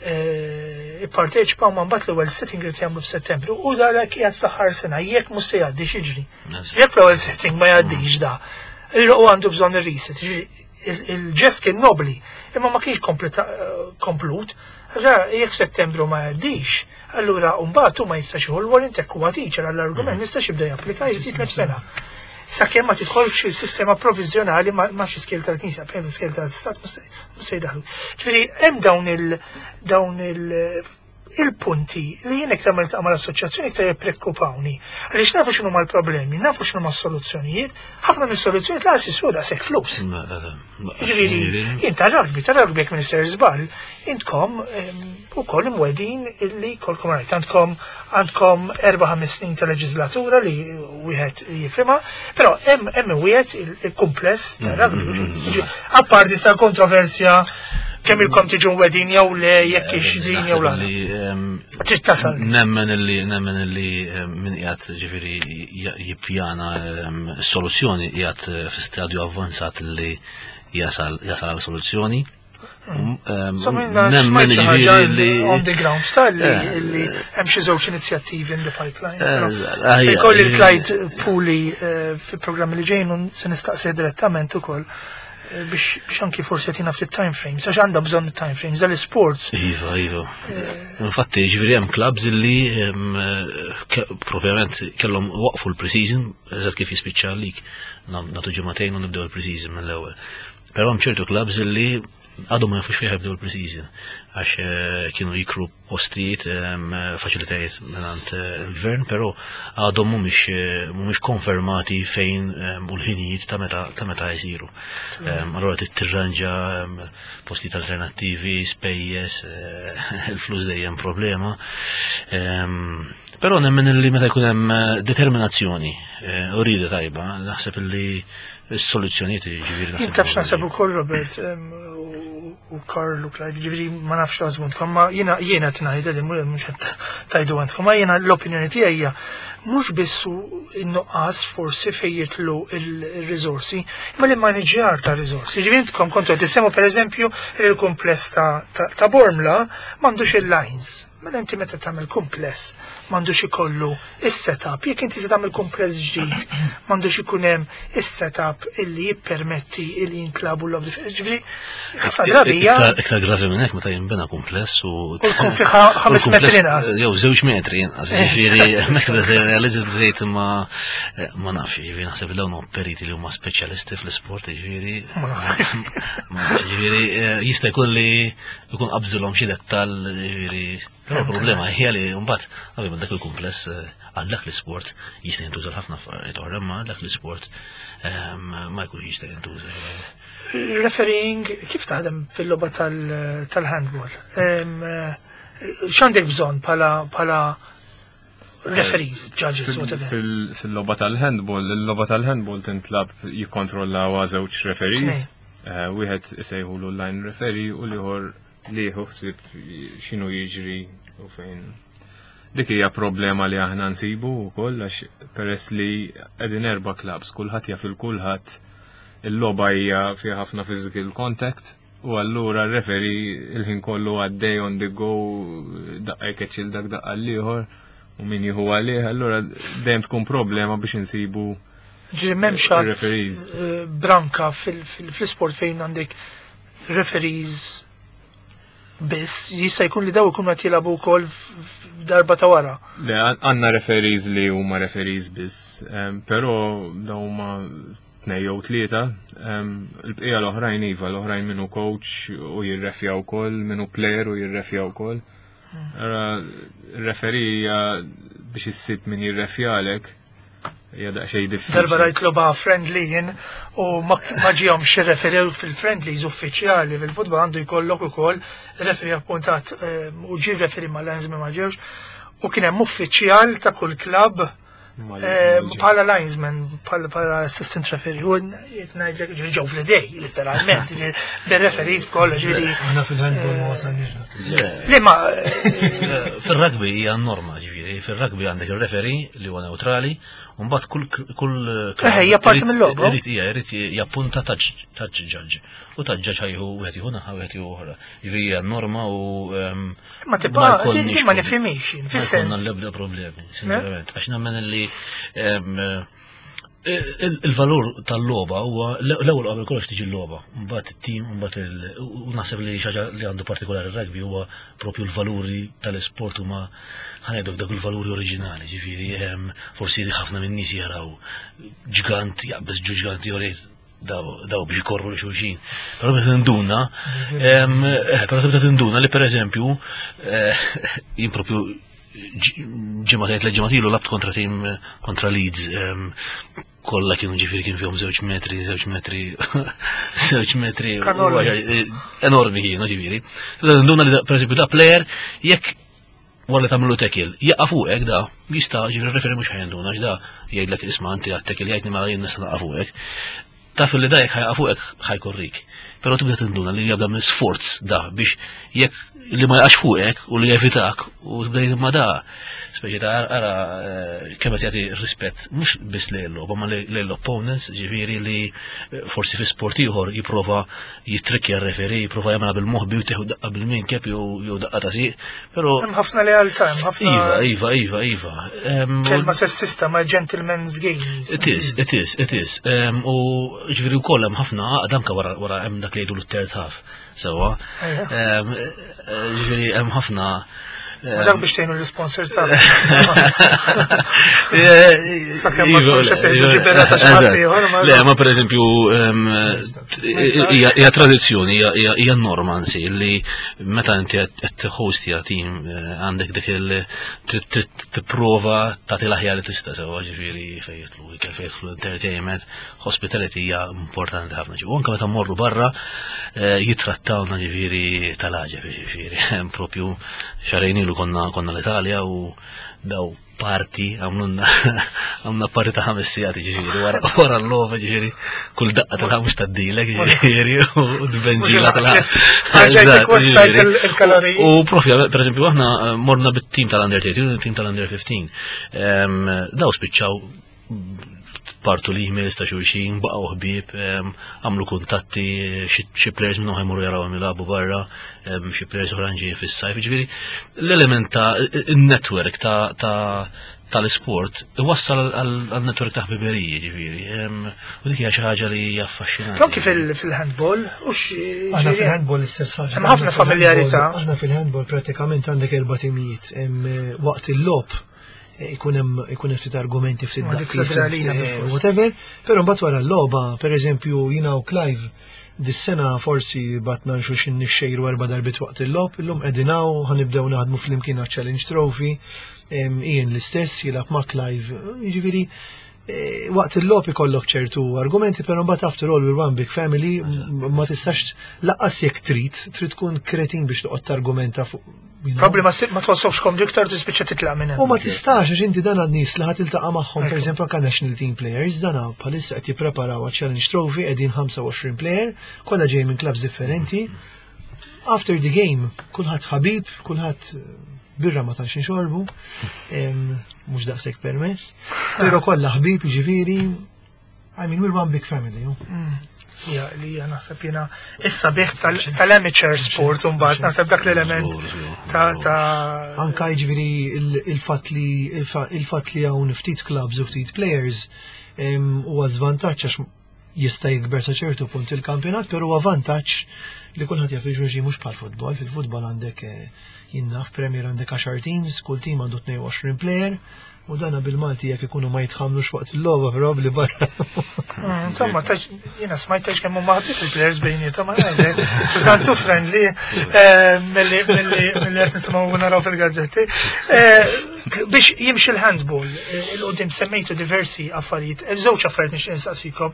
Eh, Ipparteċipa ma mbagħad l-ewwel sitting li jagħmlu f'Settembru u dak qiegħed fl-aħħar sena jekk mhux se jgħaddi x'jiġri. Jekk l-ewwel sitting ma jgħaddix da, u għandu bżonn ir-resit. Ġifieri, il- Il-ġest kien nobli, imma ma kienx kompleta- eh, komplut. Allora, jekk Settembru ma jgħaddix, allura mbagħad hu ma jistax jieħu l-warrant jekk huwa teacher għall-argument ma jistax jibda japplika jitlef sena. Sakemm ma tidħolx il-sistema provizjonali ma ma xi skejjel tal-Knisja, per skejjel tal-Istat mhux se- mhux se jdaħlu. Ġifieri hemm dawn il dawn il il-punti li jien iktar ma niltaqa' mal-assoċjazzjoni iktar jippreokkupawni. Għaliex nafu x'inhu l-problemi, nafu x'inhu s-soluzzjonijiet, ħafna mis-soluzzjonijiet lanqas jiswew daqshekk flus. Ġifieri, jien ta' rugby, ta' rugby jekk minister żball, intkom em, ukoll imwegħdin illi kolkom rajt, għandkom għandkom erba' ħames snin ta' leġislatura li wieħed jifhimha, però hemm hemm wieħed il- il-kumpless ta' rugby. Ġifieri, Apparti sa' kontroversja kemm ilkom tiġu mwegħdin jew le jekk ix din jew la. li Trid tasal. Nemmen illi nemmen illi em, min qiegħed ġifieri j- jippjana em, soluzzjoni qiegħed eh, fi stadju avvanzat li jasal jasal għal soluzzjoni. Em, So minna Nemmen smajt xi ħaġa ġifieri li on the ground style li Eh. li hemm xi żewġ inizjattivi in the pipeline. Eh, Però ah, Se ija, jkolli ija. l-Clyde Puli eh, fi programmi li ġejjin u se nistaqsi direttament ukoll eh, biex biex anki forsi jagħtina ftit time frames, għax għandha bżonn time frames għall-sports. Iva, iva. Infatti, ġifieri hemm clubs illi em, eh, ke- propjament kellhom waqfu l-preseason, eżatt kif jispiċċa l-league, nagħtu ġimagħtejn u nibdew il-preseason mill-ewwel. Però hemm ċertu clubs illi għadhom ma jafux fejn jibdew il-preseason għax eh, kienu jikru postijiet, em, faċilitajiet mingħand eh, il-gvern, però għadhom mhumiex eh, mhumiex konfermati fejn em, u l-ħinijiet ta' meta ta' meta jsiru. Em, Allura trid tirranġa em, postijiet alternattivi, spejjeż, eh, il-flus dejjem problema. Em, Però nemmen illi meta jkun hemm eh, determinazzjoni eh, u rieda tajba, naħseb illi s-soluzzjonijiet ġifieri Jien taf x'naħseb ukoll Robert em, u- u Karl u Clyde, ġifieri ma nafx taħsbu ma jiena jiena qed ngħidha li mhux qed tajdu għandkom, ma jiena l-opinjoni tiegħi hija mhux biss hu n-nuqqas forsi fejn jitlu il-riżorsi, imma li maniġjar ta' riżorsi. Ġifieri intkom kontu qed tissemmu pereżempju il-kumpless ta' ta' ta' Bormla m'għandux il-lines. Mela inti meta tagħmel kumpless m'għandux ikollu is-setup, jekk inti se tagħmel kumpless ġdid, m'għandux ikun hemm is-setup illi jippermetti illi jintlagħbu l-logħob. Ġifieri ħafna drabi hija Iktar iktar gravi minn hekk meta jinbena kumpless u U jkun fi ħa- ħames u l-kumpless- metri inqas. Jew żewġ metri inqas. Ġifieri hemmhekk tibda tirrealizza bdejt ma ma nafx, ġifieri naħseb dawn huma periti li huma speċjalisti fl-isport, ġifieri Ma nafx. ma nafx, ġifieri eh, jista' jkun li jkun qabżilhom xi dettall, ġifieri Però l-problema hija li mbagħad ovvjament dak il-kumpless eh, għal dak l-isport jista' jintuża ħafna affarijiet oħra, imma dak l-isport ehm, ma jkunx jista' jintuża. Refereeing, kif taħdem fil-logħba tal- tal-handball? Em, eh, X'għandek bżonn bħala bħala referees, judges, whatever? Fil- Fil-logħba tal-handball, il-logħba tal-handball tintlagħab jikkontrollaw żewġ referees. Eh, Wieħed isejħulu line referee u l-ieħor li jieħu ħsieb x'inhu jiġri u fejn. Dik hija problema li aħna nsibu wkoll għax peress li qegħdin erba' clubs, kulħadd jaf il kulħadd il-logħba hija fiha ħafna physical contact u allura r-referee il-ħin kollu għaddej on the go daqqa jkeċċi dak daqqa l-ieħor u min jieħu għalih, allura dejjem tkun problema biex insibu Ġifieri m'hemmx għad, Referees. eh, branka fil- fil- fl-isport fejn għandek referees biss, jista' jkun li daw ikunu qed jilagħbu wkoll f- f- darba ta' wara. Le, għandna referees li huma referees biss, em, però daw huma tnej jew tlieta, em, il-bqija l-oħrajn iva, l-oħrajn minnu coach u jirrefja wkoll, minnu player u jirrefja wkoll. Ara, referee hija biex issib min jirrefjalek hija daqsxejn diffiċli. Darba rajt logħba friendly jien u ma ma ġihomx referee fil-friendlies uffiċjali fil-futbol għandu jkollok ukoll referee appuntat eh, u ġi referee ma linesman ma ġewx u kien hemm uffiċjal ta' kull klabb Mal- eh, mal- bħala linesman, bħala bħala assistant referee, u ngħidlek ġifieri ġew fl-idej, literalment, bil-referees b'kollox, ġifieri. Aħna fil-handball ma wasalniex dak. Le ma eh, Fil-rugby hija norma ġifieri, fil-rugby għandek il-referee li huwa neutrali, u mbagħad kull kull Eh, hija parti mill-logħba. Irid hija irid jappunta touch touch judge. U touch judge ħa jieħu wieħed jieħu naħa wieħed jieħu oħra. Ġifieri hija norma u ehm, ma tibqa' jkollniex di ma problemi. nifhimix jien, Ma jkollna fis-sens. l-ebda problemi, sincerament. Għax nemmen li ehm, il- il-valur tal-logħba huwa l-ewwel qabel kollox tiġi l-logħba, mbagħad it-tim, mbagħad il- u naħseb li xi ħaġa li għandu partikolari r-rugby huwa propju l-valuri tal-isport huma ħa ngħiduk dak il-valuri oriġinali, ġifieri ehm, forsi ħafna minn nies jaraw ġgant jaqbeż ġu ġgant jorejt daw daw biex ikorru li xulxin. Però meta tinduna, ehm, eh, però tibda tinduna li pereżempju eh, jien propju ġimgħatejn tliet ġimgħat ilu lgħabt kontra tim kontra Leeds ehm, kollha kienu ġifieri kien fihom żewġ metri, żewġ metri, żewġ metri Kanoli. u- enormi kienu ġifieri. Tibda tinduna li da- pereżempju da player jekk wara li tagħmlu tackle, jaqa' fuqek da, jista' ġifieri referi mhux ħa jinduna għax da jgħidlek isma' inti għat-tackle jgħidni ma jien nista' naqa' fuqek. Taf li da jekk ħa jaqa' fuqek ħa jkorrik. Però tibda tinduna li jabda minn sforz da biex jekk li ma jaqax fuqek u li jevitak u tibda jgħid ma da. Speċi ta' ara eh, kemm qed jagħti rispett mhux biss lejn logħba ma lejn l-opponents, ġifieri li eh, forsi fi sport ieħor jipprova jitrikkja r-referee, jipprova jagħmilha bil-moħbi u tieħu daqqa bil-minkeb jew jew daqqa ta' sieq, però Hemm ħafna lealtà, hemm ħafna Iva, iva, iva, iva. Em, u- kelma sessista ma' gentleman's game. It is, it is, it is. Em, U ġifieri wkoll hemm ħafna għaqda anke wara wara hemm dak li jgħidu l-third half. Sewwa. Ejja. Em, eh, Ġifieri hemm ħafna Ma dak biex tgħinu l-sponsor tagħna. Sakemm ma Iva, tkunx qed tgħidu iva, xi berra ta' xi ħadd eżatt. ieħor, ma- Le, ma per eżempju, em, hija hija tradizzjoni, hija- hija hija norma anzi li meta inti qed tħostja tim eh, għandek dik il trid trid tipprova tagħti l-aħjar li tista' sewwa ġifieri fejn jidħlu ikel fejn jidħlu entertainment, hospitality hija importanti ħafna. U anke meta mmorru barra eh, jitrattawna ġifieri tal-għaġeb ġifieri hemm propju xahrejn ilu konna konna l-Italja u daw party għamlunna għamna party ta' ħames sigħat ġifieri wara wara l-logħba ġifieri kull daqqa tal mhux taddilek ġifieri u tbenġila tal Ġejtek wastajt ġifieri. il-kaloriji. U propju, per eżempju, aħna eh, morna bit-tim tal-Under thirteen u tim tal-Under fifteen. Em, Daw spiċċaw partu li emails ta' xulxin, baqgħu ħbieb, em, għamlu kuntatti, xi xi players minnhom ħa jmorru jaraw jilagħbu barra, em, xi players oħra ġejjin fis-sajf, ġifieri l-element ta' il-network ta' ta' tal-isport iwassal għal network ta' ħbiberiji ġifieri. Em, U dik hija xi ħaġa li hija affaxxinanti. Anki fil- fil-handball, u xi. Aħna fil-handball l-istess ħaġa. Hemm ħafna Aħna fil-handball- familjarità. Aħna fil-handball pratikament għandek erba' timijiet. Hemm, eh, Waqt il-logħob eh, ikun hemm ikun hemm ftit argumenti ftit Ma dik daqqiet, l-adrenalina ftit, eh, bil-fors. whatever, però mbagħad wara l-logħba, pereżempju jiena u Clive Dis-sena forsi batna nxuxin nixxejru erba' darbiet waqt il-logħob, illum qegħdin hawn, ħa nibdew naħdmu flimkien għaċ-Challenge Trophy, em, Ian l-istess jilgħab ma' Clive, jiġifieri eh, waqt il-logħob ikollok ċertu argumenti, però mbagħad after all we're one big family, m- ma tistax lanqas jekk trid, trid tkun kretin biex toqgħod targumenta fuq. you know. Probably ma ma tħossokx komdu iktar, tispiċċa titlaq minn hemm. U ma tistax, għax inti dan għad nies li ħa tiltaqa' magħhom, per Ekku. eżempju, anke national team players, dana bħalissa qed jippreparaw għal Challenge Trophy, qegħdin ħamsa u għoxrin player, kollha ġej minn clubs differenti. After the game, kulħadd ħabib, kulħadd eh, birra ma tantx nixorbu, em, mhux daqshekk permess, però kollha ħbib, jiġifieri, I mean, we're one big family. You? Ja, li hija naħseb jiena issa bih tal-amateur sport, mbagħad naħseb dak l-element Żgur, żgur, ta' żgur. ta' Anka jiġifieri il- il-fatt li il-fa- il-fatt li hawn ftit clubs u ftit players em, huwa żvantaġġ għax jista' jikber sa ċertu punt il-kampjonat, però huwa vantaġġ li kulħadd jaf il-xulxin, mhux bħal futbol. Fil-futbol għandek eh, jinnaf Premier għandek għaxar teams, kull team għandu tnejn u għoxrin player, u dana bil-Malti jekk ikunu ma jitħamlux waqt il-logħba probabbli barra. Mm, Insomma, taġ, jiena smajt taġ kemm huma ħabib il-players bejniethom, ma ngħidlek. Tantu friendly eh, milli milli milli qed nisimgħu naraw fil-gazzetti. Eh, Biex jimxi l-handball, eh, il-qudiem semmejtu diversi affarijiet, eh, żewġ affarijiet nixtieq insaqsikom.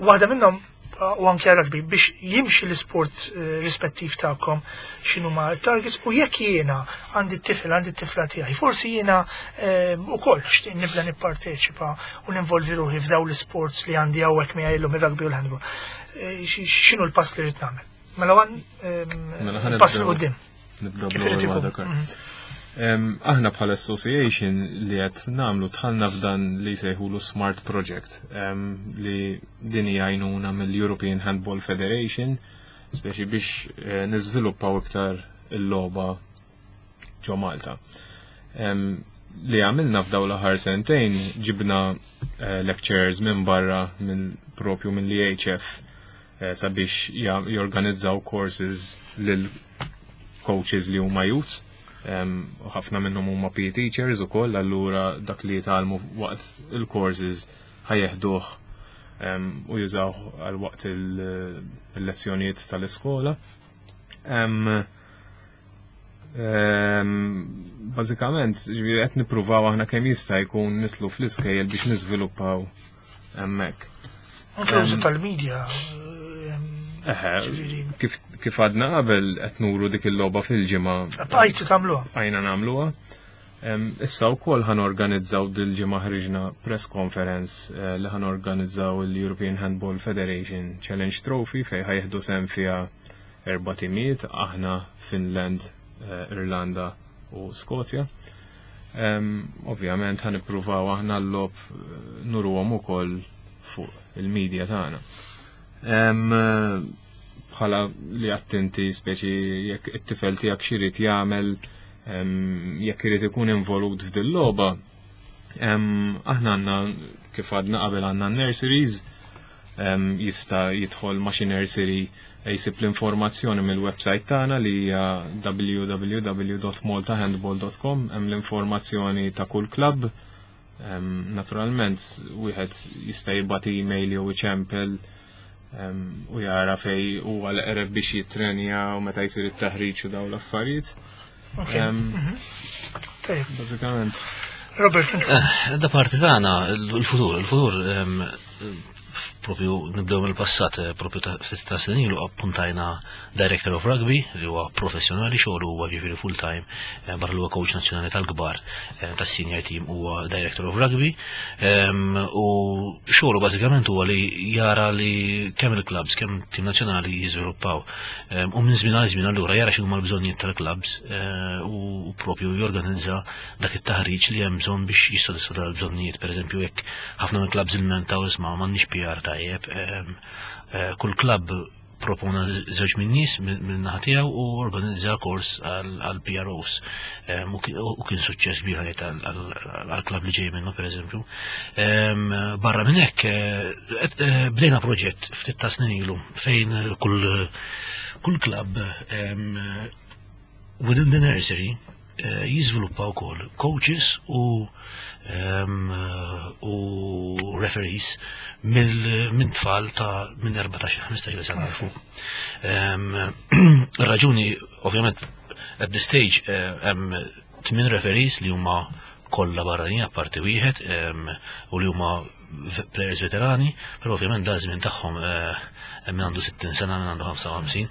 Waħda minnhom eh, u anke rugby, biex jimxi l-sport eh, rispettiv tagħkom, x'inhu ma targets u jekk jiena għandi t-tifel, għandi t-tifla tiegħi, forsi jiena eh, ukoll xtieq nibda nipparteċipa u ninvolvi ruħi f'daw l-sports li għandi hawnhekk miegħi illum, ir-rugby u l-handball. Eh, xi- X'inhu l-pass li rrid nagħmel? Mela għan Mela ħa pass nibdew. 'l quddiem. Nibdew Kif irid bl-ewwel ikun? waħda, Karl. Mhm. Em, Aħna bħala association li qed nagħmlu, dħalna f'dan li jsejħulu Smart Project em, li din hija għajnuna mill-European Handball Federation speċi biex eh, niżviluppaw iktar il-logħba ġo Malta. Em, Li għamilna f'daw l-aħħar sentejn, ġibna eh, lecturers minn barra, minn propju minn l-E H F eh, sabiex ja- jorganizzaw courses lil coaches li huma youths. Um, u ħafna minnhom huma P E teachers ukoll, allura dak li jitgħallmu waqt il-courses ħa jeħduh um, u jużaw għal waqt il- il-lezzjonijiet tal-iskola. Um, um, Bażikament, ġifieri qed nippruvaw aħna kemm jista' jkun nidħlu fl-iskejjel biex niżviluppaw hemmhekk. Anke l-użu tal-media. eh, Eħe, Ġifieri. kif, kif għadna qabel, qed nuru dik il-logħba fil-ġimgħa. Bqajtu tagħmluha. Għajna nagħmluha. Em, Issa wkoll ħa norganizzaw, dil-ġimgħa ħriġna press conference eh, li ħa norganizzaw il-European Handball Federation Challenge Trophy fej ħa jieħdu sehem fiha erba' timijiet, aħna, Finland, eh, Irlanda u Skozja. Em, Ovvjament ħa nippruvaw aħna l-logħob eh, nuruhom ukoll fuq il-media tagħna. Em, eh, Bħala li attenti, speċi jekk it-tifel tiegħek x'irid jagħmel, em, jekk irid ikun involut f'dil logħba, em, aħna għandna, kif għadna qabel, għandna nurseries, em, jista' jidħol ma' xi nursery, jsib l-informazzjoni mill-website tagħna li hija w w w punt maltahandball punt com, hemm l-informazzjoni ta' kull club. Em, Naturalment wieħed jista' jibgħat email jew iċempel em, u jara fej huwa l-eqreb biex jitrenja u meta jsir it-taħriġ u dawn l-affarijiet. Ok. Em, Tajjeb. Bażikament. Robert, inti. Eh, Da parti tagħna il-futur, il-futur em, propju nibdew mill-passat, eh, propju ta' ftit ta' snin ilu appuntajna Director of Rugby li huwa professjonali, xogħlu huwa ġifieri full time, eh, barra li huwa coach nazzjonali tal-kbar, eh, tas-senior team, huwa Director of Rugby em, u xogħlu bażikament huwa li jara li kemm il-clubs kemm tim nazzjonali jiżviluppaw. Em, u minn żmien għal żmien allura jara x'huma l-bżonnijiet tal-clubs eh, u propju jorganizza dak it-taħriġ li hemm bżonn biex jissodisfa dal-bżonnijiet. Per eżempju, jekk ħafna mill-clubs ilmentaw, isma', m'għandniex P R tajjeb, em, eh, kull club propona żewġ minn nies minn naħa tiegħu u organizza kors għal P R Os. Em, U kien- u kien suċċess kbir għalih għal-club li ġej minnu, per eżempju. Em, Barra minn hekk eh, eh, bdejna proġett ftit ta' snin ilu fejn kull kull club em, within the nursery eh, jiżviluppa wkoll coaches u em, u referees mill- minn tfal ta' minn erbatax ħmistax sena 'l fuq. Em, Ir-raġuni, ovvjament, at this stage eh, hemm tmien referees li huma kollha barranin apparti wieħed em, u li huma v- players veterani, però ovvjament da żmien tagħhom, eh, hemm min għandu sittin sena, min għandu ħamsa u ħamsin,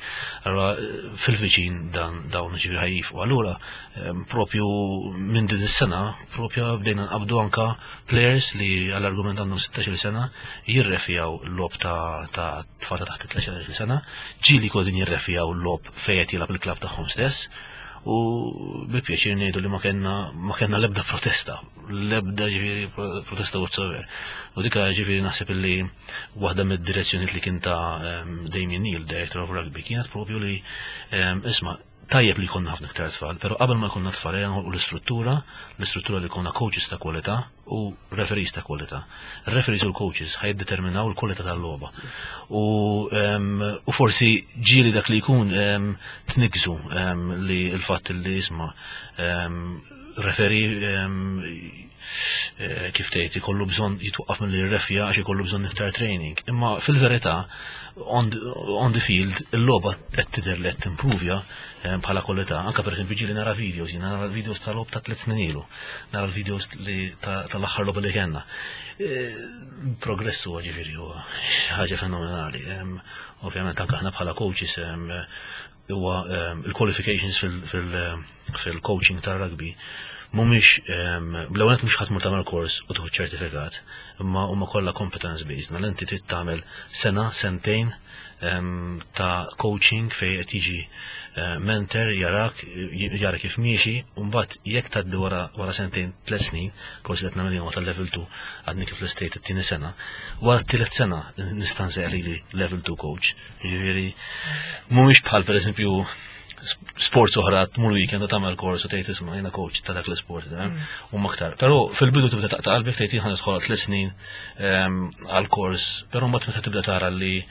allura eh, fil-viċin dan dawn ġifieri ħa jieqfu. Allura em, propju minn din is-sena propju bdejna nqabdu anka players li għall-argument għandhom sittax-il sena jirrefijaw l-logħob ta' ta' tfal ta' taħt tlettax-il sena, ġieli kodin jirrefijaw l-logħob fejn qed jilgħab il-klabb tagħhom stess, u bi pjaċir ngħidu li ma kellna ma kellna l-ebda protesta, l-ebda ġifieri protesta whatsoever. U dika ġifieri naħseb illi waħda mid-direzzjonijiet li kien ta' em, Damien Neil, Director of Rugby, kienet propju li em, isma', tajjeb li jkollna ħafna iktar tfal, pero qabel ma jkollna tfal ejja noħolqu l-istruttura, l-istruttura li jkollna coaches ta' kwalità u referees ta' kwalità. Referees u l-coaches ħa jiddeterminaw l-kwalità tal-logħba. U, em, u forsi ġieli dak li jkun em, tnigżu em, li l-fatt li isma' em, referee em, eh, kif tgħid ikollu bżonn jitwaqqaf milli jirrefja għax ikollu bżonn iktar training. Imma fil-verità on the, on the field il-logħba qed tidher li qed timprovja eh, bħala kwalità. Anka pereżempju ġieli nara videos, jiena nara videos tal-logħob ta' tliet snin ilu, nara l-videos li ta- tal-aħħar logħba li kellna. Eh, Progress huwa ġifieri huwa ħaġa fenomenali. Em, Ovvjament anke aħna bħala coaches em, huwa em, il-qualifications fil-coaching tar-rugby mhumiex bl-ewwel mhux ħadd mur tagħmel kors u tieħu ċertifikat, imma huma kollha competence based. Mela inti trid tagħmel sena, sentejn em, ta' coaching fejn qed jiġi eh, mentor jarak jara kif miexi, u mbagħad jekk tgħaddi wara wara sentejn, tliet snin, forsi qed nagħmel jien tal-level two, għadni kif l-estate it-tieni sena, wara t-tielet sena nista' nsejjaħ lili level two coach. Jiġifieri mhumiex bħal pereżempju sports oħra, tmur weekend u tagħmel kors u tgħid, "Isma', jiena coach ta' dak l-isport", eh, u aktar. Però fil-bidu tibda taqta' qalbek, tgħid, "Jien nidħol tliet snin ehm, għal kors", però mbagħad meta tibda tara li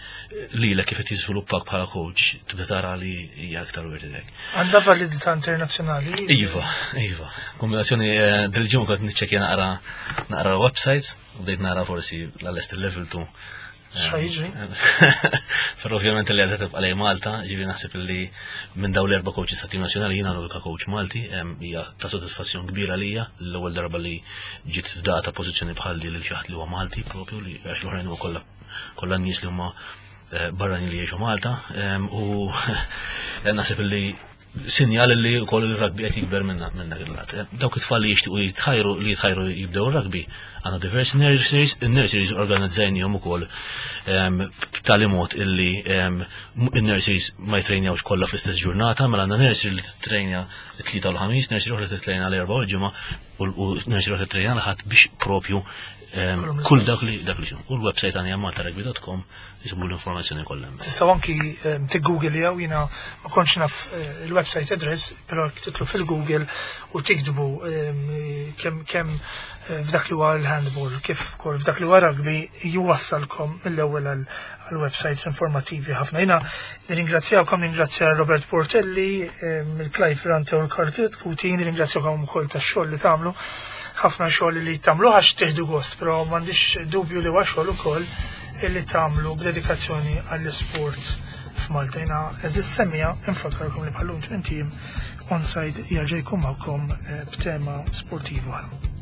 lilek kif qed jiżviluppak bħala coach, tibda tara li hija aktar worth it. Għandha validità internazzjonali? Iva, iva. Kombinazzjoni eh, dil-ġimgħa kont niċċekkja naqra naqra websites u bdejt nara forsi l-lest level two. X'ħa jiġri? Però ovvjament li għadha tibqa' lejn Malta, ġifieri naħseb li minn dawn l-erba' coaches ta' tim nazzjonali jiena l-unika coach Malti, em, hija ta' sodisfazzjon kbira lija l-ewwel darba li ġiet fdata pożizzjoni bħal di lil xi ħadd li huwa Malti propju, li għax l-oħrajn huwa kollha kollha nies li huma eh, barranin li jgħixu Malta, em, u naħseb li sinjal li wkoll il-rugby qed jikber minna minn dak il-lat. Dawk it-tfal li jixtiequ jitħajru li jitħajru jibdew rugby, għandna diversi nurseries, il-nurseries organizzajnihom ukoll em, b'tali mod illi em, il-nurseries ma jitrejnjawx kollha fl-istess ġurnata, mela għandna nursery li titrejnja t-Tlieta u l-Ħamis, nursery oħra titrejnja l-Erbgħa u l-Ġimgħa u u nursery oħra titrejnja l-Ħadd biex propju em, kull dak li dak li xu. U l-website għandna malta rugby dot com, jisibu l-informazzjoni kollha hemm. Tistgħu anki em, tiggoogljaw, jiena ma kontx naf eh, il-website address, però titlu fil-Google u tiktbu em, kemm kemm eh, f'dak li huwa l-handball, kif ukoll f'dak li huwa rugby, jwassalkom mill-ewwel għal għal websites informattivi ħafna. Jiena nirringrazzjawkom, nirringrazzja Robert Portelli, em, il-Clive Ferrante u l-Karl Kuti, nirringrazzjawkom ukoll tax-xogħol li tagħmlu, ħafna xogħol li tagħmlu għax tieħdu gost, però m'għandix dubju li huwa xogħol ukoll illi tagħmlu b'dedikazzjoni għall-isport f'Malta. Jiena, għeżież semmiegħa, infakkarkom li bħal-lum tmint ijiem Onside jerġa' jkun magħkom eh, b'tema sportiva oħra.